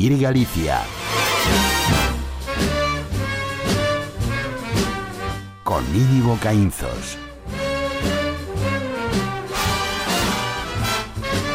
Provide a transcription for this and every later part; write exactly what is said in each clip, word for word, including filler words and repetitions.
Vivir Galicia. Con Íñigo Caínzos.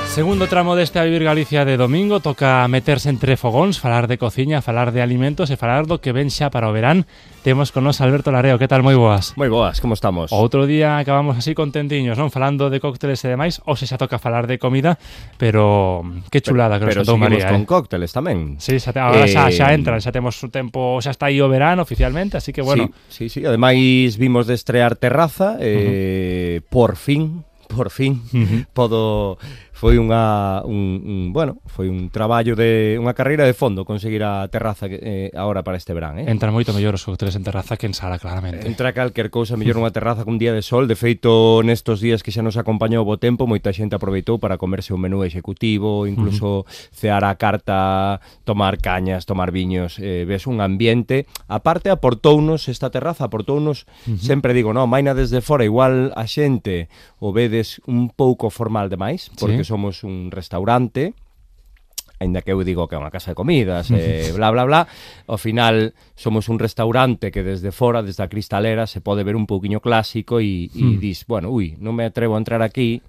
Segundo tramo deste A Vivir Galicia de domingo, toca meterse entre fogóns, falar de cociña, falar de alimentos e falar do que ven xa para o verán. Temos con nos Alberto Lareo, que tal? Moi boas. Moi boas, como estamos? Outro día acabamos así contentiños, non? Falando de cócteles e demais, ou se xa toca falar de comida, pero que chulada que nos contou María. Pero seguimos con eh? cócteles tamén. Sí, xa te, agora eh... xa, xa entran, xa temos o tempo, xa está aí o verán oficialmente, así que bueno. Sí, sí, sí. Ademais vimos de estrear Terraza, eh, uh-huh. por fin, por fin, uh-huh. podo... Foi unha un, un bueno, foi un traballo de unha carreira de fondo conseguir a terraza eh, agora para este verán, eh. Entra moito mellor os cócteles en terraza que en sala, claramente. Entra calquer cousa mellor unha terraza cun día de sol. De feito, nestos días que xa nos acompañou o bo tempo, moita xente aproveitou para comerse un menú executivo, incluso uh-huh. cear a carta, tomar cañas, tomar viños, eh, ves un ambiente. Aparte aportounos esta terraza, aportounos, uh-huh. sempre digo, no, maina desde fora, igual a xente o vedes un pouco formal demais, porque ¿sí? somos un restaurante, ainda que eu digo que é unha casa de comidas, eh, bla, bla, bla, ao final somos un restaurante que desde fora, desde a cristalera, se pode ver un pouquiño clásico e, e mm. dis, bueno, ui, non me atrevo a entrar aquí,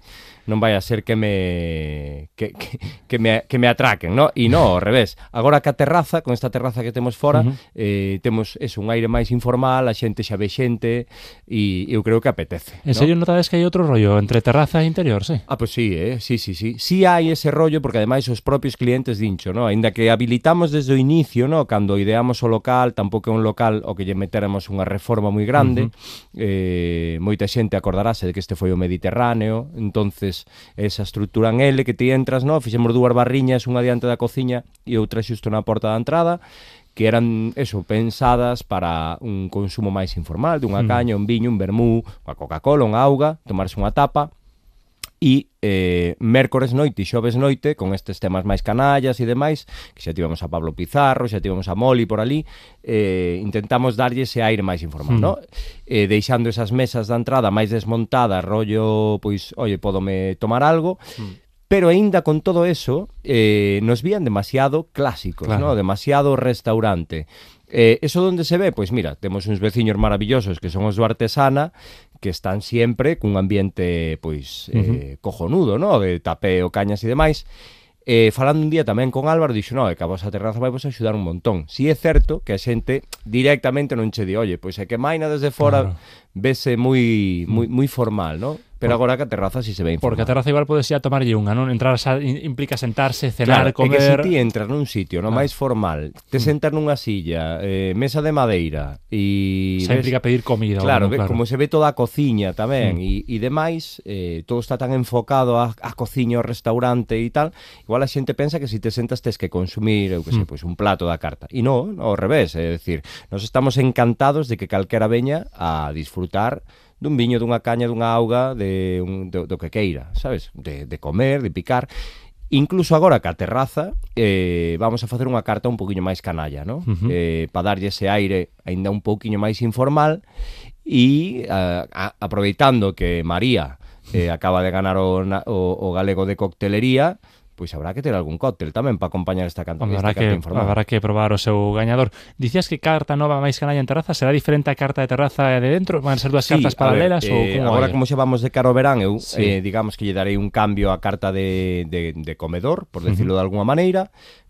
non vai a ser que me que, que, que me que me atraquen, no? E non, ao revés. Agora que a terraza, con esta terraza que temos fora, uh-huh. eh, temos eso, un aire máis informal, a xente xa ve xente e eu creo que apetece. En ¿no? serio notades que hai outro rollo entre terraza e interior, sí? Ah, pois pues sí, eh, sí, sí, sí. Sí hai ese rollo porque ademais os propios clientes dincho, no? Ainda que habilitamos desde o inicio, no? Cando ideamos o local, tampouco é un local o que lle meteramos unha reforma moi grande. Uh-huh. Eh, moita xente acordarase de que este foi o Mediterráneo, entonces esa estrutura en L que ti entras, no? Fixemos dúas barriñas, unha diante da cociña e outra xusto na porta da entrada, que eran, eso, pensadas para un consumo máis informal, dunha caña, un viño, un vermú, unha Coca-Cola, unha auga, tomarse unha tapa. E eh, mércores noite e xoves noite, con estes temas máis canallas e demais, que xa tivemos a Pablo Pizarro, xa tivemos a Moli por ali, eh, intentamos darlle ese aire máis informal, mm. no? Eh, deixando esas mesas da entrada máis desmontadas, rollo, pois, oye, podome tomar algo, mm. pero aínda con todo eso, eh, nos vían demasiado clásicos, claro. no? Demasiado restaurante. Eh, eso donde se ve? Pois mira, temos uns veciños maravillosos que son os do Artesana, que están sempre cun ambiente pois eh, uh-huh. cojonudo, no? De tapeo, cañas e demais. Eh, falando un día tamén con Álvaro, dixo, no, é que a vosa terraza vai vos axudar un montón. Si é certo que a xente directamente non che di, oye, pois é que maina desde fora claro. vese moi moi moi formal, no? Pero agora que a terraza si se ve informal. Porque a terraza igual podes xa tomarlle unha, non? Entrar xa implica sentarse, cenar, claro, comer... Claro, é que se ti entras nun sitio no ah. máis formal, te sentas nunha silla, eh, mesa de madeira e... Xa implica pedir comida. Claro, bueno, claro, como se ve toda a cociña tamén e mm. demais, eh, todo está tan enfocado a, a cociña, ao restaurante e tal, igual a xente pensa que se te sentas tes que consumir, eu que sei, mm. pois un plato da carta. E non, ao revés, é dicir, nos estamos encantados de que calquera veña a disfrutar dun viño, dunha caña, dunha auga, de un, do, do que queira, sabes? De, de comer, de picar. Incluso agora que a terraza eh, vamos a facer unha carta un poquinho máis canalla, ¿no? Uh-huh. Eh, para darlle ese aire aínda un poquinho máis informal e a, a, aproveitando que María eh, acaba de ganar o, o, o galego de coctelería, pois habrá que ter algún cóctel tamén para acompañar esta canta, Hombre, esta que, carta informal. Habrá que probar o seu gañador. Dicías que carta nova máis canalla en terraza, será diferente a carta de terraza de dentro? Van ser dúas sí, cartas paralelas? Ver, ou eh, como agora como xa vamos de cara ao verán, eu sí. eh, digamos que lle darei un cambio á carta de, de, de comedor, por decirlo uh-huh. de alguna maneira,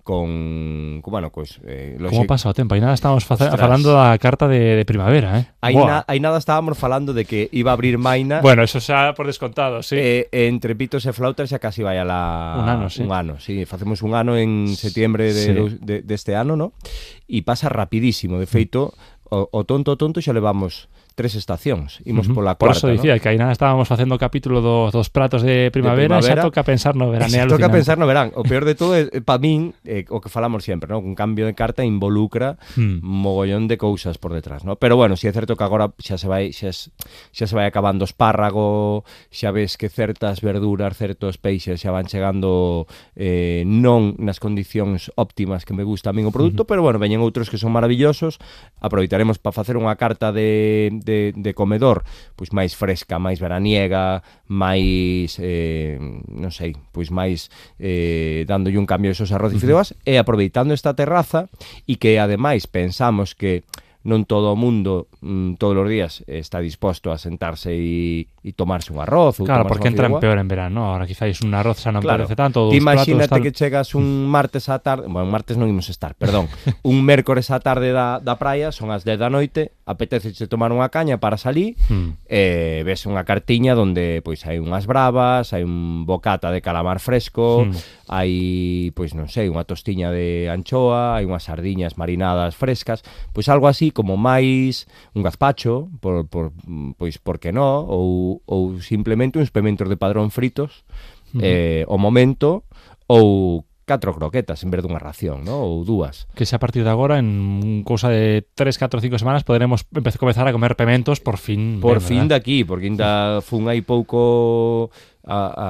con, con bueno, pues eh, como pasa o tempo? Aí nada estábamos facer, falando da carta de, de primavera, eh? Aí, na, aí nada estábamos falando de que iba a abrir Maina. Bueno, eso xa por descontado, sí. Eh, entre pitos e flautas xa casi vai a la un ano, sí. Un ano, sí, facemos un ano en setiembre de, sí. de, de, de este ano, ¿no? E pasa rapidísimo, de feito, o, o tonto tonto xa levamos tres estacións, imos uh-huh. pola cuarta, por eso dicía, ¿no? Que aí nada estábamos facendo o capítulo do, dos pratos de primavera, de primavera, xa toca pensar no verán. Xa toca pensar no verán. O peor de todo é, para min, eh, o que falamos sempre, ¿no? Un cambio de carta involucra hmm. mogollón de cousas por detrás, ¿no? Pero bueno, si é certo que agora xa se vai xa, xa se vai acabando o espárrago, xa ves que certas verduras, certos peixes xa van chegando eh, non nas condicións óptimas que me gusta a min o produto, uh-huh. pero bueno, veñen outros que son maravillosos. Aproveitaremos para facer unha carta de de, de comedor, pois máis fresca, máis veraniega, máis, eh, non sei, pois máis eh, dándolle un cambio a esos arroz e fideoas, uh-huh. e aproveitando esta terraza, e que ademais pensamos que non todo o mundo mm, todos os días está disposto a sentarse e, e tomarse un arroz ou claro, porque entran fideuá. peor en verano, ahora quizás un arroz xa non claro. parece tanto. Ti imagínate platos, tal... que chegas un martes á tarde, bueno, martes non imos estar, perdón, un mércores á tarde da, da praia, son as dez da noite, apeteceche tomar unha caña para salir, hmm. e ves unha cartiña onde pois hai unhas bravas, hai un bocata de calamar fresco, hmm. hai, pois non sei, unha tostiña de anchoa, hai unhas sardiñas marinadas frescas, pois algo así como máis un gazpacho, por, por, pois por que no, ou, ou simplemente uns pementos de Padrón fritos, uh-huh. eh, o momento, ou catro croquetas en vez dunha ración, ¿no? Ou dúas. Que se a partir de agora, en cousa de tres, catro, cinco semanas, poderemos empezar a comezar a comer pementos por fin. Por ben, fin ¿verdad? de aquí, porque ainda fun aí pouco a, a,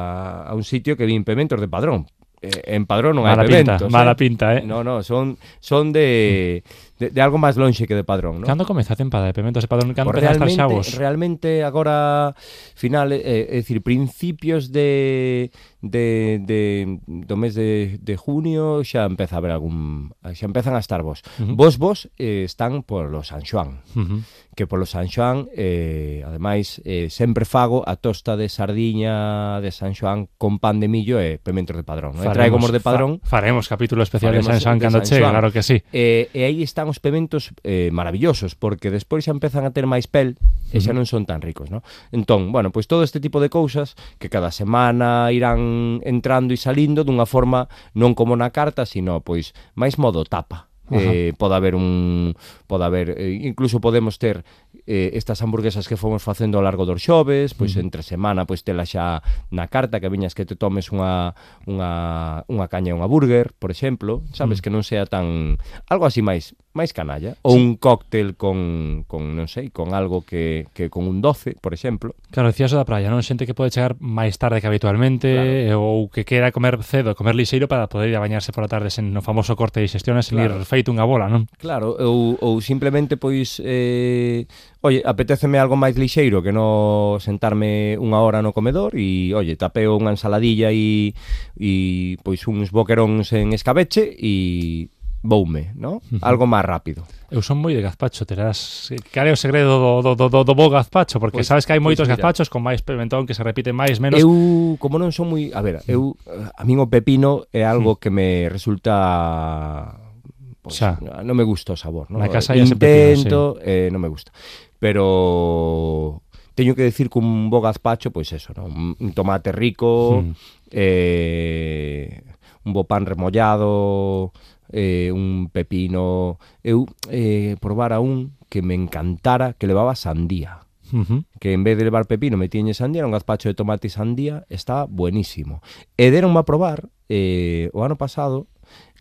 a un sitio que vin pementos de Padrón. Eh, en Padrón non hai mala pementos. Pinta, mala eh? pinta, eh? No, no, son, son de, de, de algo máis lonxe que de Padrón, ¿no? Cando comeza a tempada de pementos de Padrón? Cando pues empezan a estar realmente, xavos? realmente agora, final, eh, é dicir, principios de, de, de do mes de, de junio xa empeza a haber algún, xa empezan a estar vos. Uh-huh. Vos, vos eh, están polo San Xoán. Uh-huh. Que polo San Xoán, eh, ademais, eh, sempre fago a tosta de sardiña de San Xoán con pan de millo e pementos de Padrón. Faremos, traigo mos de Padrón. Fa, faremos capítulo especial faremos de San Xoán cando chegue, claro que sí. Eh, e aí están os pementos eh, maravillosos, porque despois xa empezan a ter máis pel e xa non son tan ricos, ¿no? Entón, bueno, pois todo este tipo de cousas que cada semana irán entrando e salindo dunha forma non como na carta, sino pois máis modo tapa. Eh, pode haber un pode haber, eh, incluso podemos ter eh, estas hamburguesas que fomos facendo ao largo dos xoves, pois uh-huh. entre semana pois tela xa na carta, que viñas que te tomes unha unha unha caña e unha burger, por exemplo, sabes, uh-huh. que non sea tan algo así máis máis canalla, ou sí. un cóctel con, con non sei, con algo que, que con un doce, por exemplo. Claro, decías o da praia, non? Xente que pode chegar máis tarde que habitualmente, claro. ou que quera comer cedo, comer lixeiro para poder ir a bañarse por a tarde sen no famoso corte de xestiones, sen claro. ir feito unha bola, non? Claro, ou, ou simplemente, pois, eh, oye, apetéceme algo máis lixeiro que non sentarme unha hora no comedor e, oye, tapeo unha ensaladilla e, e pois, uns boqueróns en escabeche e voume, ¿no? Uh-huh. Algo máis rápido. Eu son moi de gazpacho, terás... Cal é o segredo do, do, do, do bo gazpacho? Porque pues, sabes que hai moitos pues gazpachos con máis pimentón que se repite máis, menos... Eu, como non son moi... A ver, eu... A min o pepino é algo uh-huh. que me resulta... Pues, xa. Non me gusta o sabor, ¿no? Na casa intento, pepino, sí. eh, non me gusta. Pero... Teño que decir que un bo gazpacho, pois pues eso, ¿no? Un tomate rico, uh-huh. eh, un bo pan remollado... Eh, un pepino. Eu eh, probara un que me encantara, que levaba sandía. Uh-huh. Que en vez de levar pepino me tiñe sandía, era un gazpacho de tomate e sandía, está buenísimo. E deronme a probar eh, o ano pasado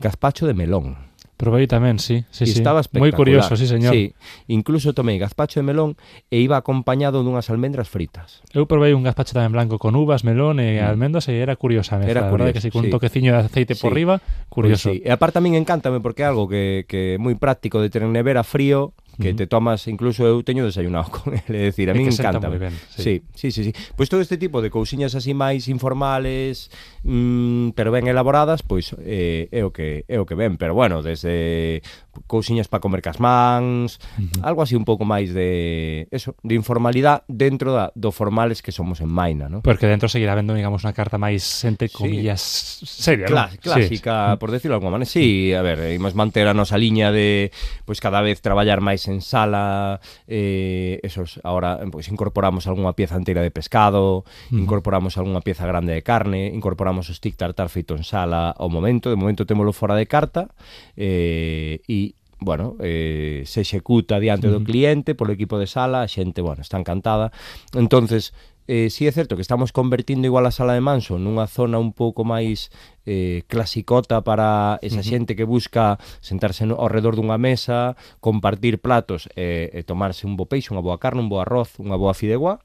gazpacho de melón. Probei tamén, sí, sí, sí. Estaba espectacular. Moi curioso, sí, señor. Sí, incluso tomei gazpacho de melón e iba acompañado dunhas almendras fritas. Eu probei un gazpacho tamén blanco con uvas, melón e mm. almendras e era curiosa a mezcla. Era curioso, verdade que sí, con sí. un toqueciño de aceite sí. por riba, curioso. Pues sí. E aparte a min encántame porque é algo que, que é moi práctico de ter en nevera frío, que uh-huh. te tomas, incluso eu teño desayunado con ele, é dicir, a min encanta. Ben, sí. sí, sí, sí, sí. Pois todo este tipo de cousiñas así máis informales, mmm, pero ben elaboradas, pois eh, é o que é o que ven, pero bueno, desde cousiñas para comer casmáns, uh-huh. algo así un pouco máis de eso, de informalidade dentro da, do formales que somos en Maina, ¿no? Porque dentro seguirá vendo, digamos, unha carta máis entre comillas sí. seria, Clás, ¿no? Clásica, sí. por decirlo de alguma maneira. Sí, a ver, imos manter a nosa liña de pois cada vez traballar máis en sala, eh, esos, ahora pues, incorporamos algunha pieza inteira de pescado, uh-huh. incorporamos algunha pieza grande de carne, incorporamos o stick tartar feito en sala ao momento, de momento témolo fora de carta, eh, e bueno, eh, se executa diante uh-huh. do cliente polo equipo de sala, a xente, bueno, está encantada. Entonces, eh, sí é certo que estamos convertindo igual a sala de Manso nunha zona un pouco máis eh, clasicota para esa uh-huh. xente que busca sentarse no, ao redor dunha mesa, compartir platos e, e tomarse un bo peixe, unha boa carne, un bo arroz, unha boa fideuá,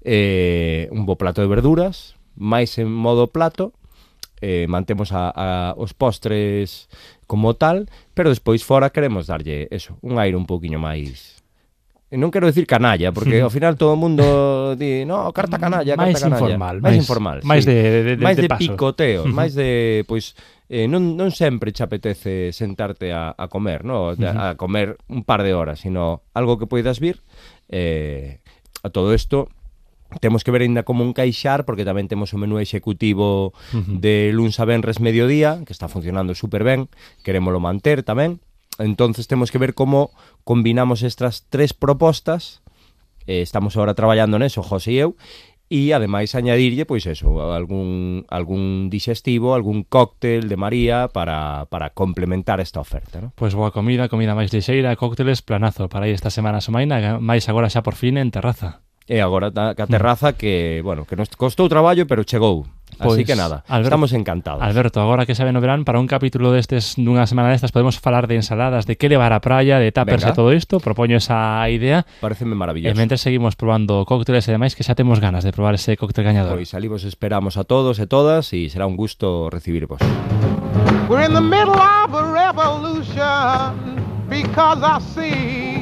eh, un bo plato de verduras, máis en modo plato, eh, mantemos a, a, os postres como tal, pero despois fora queremos darlle eso, un aire un pouquiño máis non quero decir canalla, porque ao final todo o mundo di, no, carta canalla, carta máis canalla. informal, máis máis informal, máis sí. de, de, de, máis de, de paso. picoteo, Uh-huh. máis de, pois, eh, non, non sempre che apetece sentarte a, a comer, no? Uh-huh. A comer un par de horas, sino algo que poidas vir. Eh, a todo isto temos que ver ainda como un caixar, porque tamén temos o menú executivo uh-huh. de luns a venres mediodía, que está funcionando super ben, querémolo manter tamén. Entonces temos que ver como combinamos estas tres propostas. Eh, estamos agora traballando neso, José e eu, e ademais añadirlle, pois eso, algún, algún digestivo, algún cóctel de María para, para complementar esta oferta, ¿no? Pois boa comida, comida máis lixeira, cócteles, planazo para aí esta semana somaina, máis agora xa por fin en terraza. E agora a terraza que, bueno, que nos costou traballo, pero chegou. Pois, así que nada, Alberto, estamos encantados. Alberto, agora que sabe no verán, para un capítulo destes, dunha semana destas, podemos falar de ensaladas, de que levar á praia, de tapers e todo isto. Propoño esa idea. Pareceme maravilloso. E mentre seguimos probando cócteles e demais, que xa temos ganas de probar ese cóctel gañador. Pois ali vos esperamos a todos e todas e será un gusto recibirvos. We're in the middle of a revolution because I see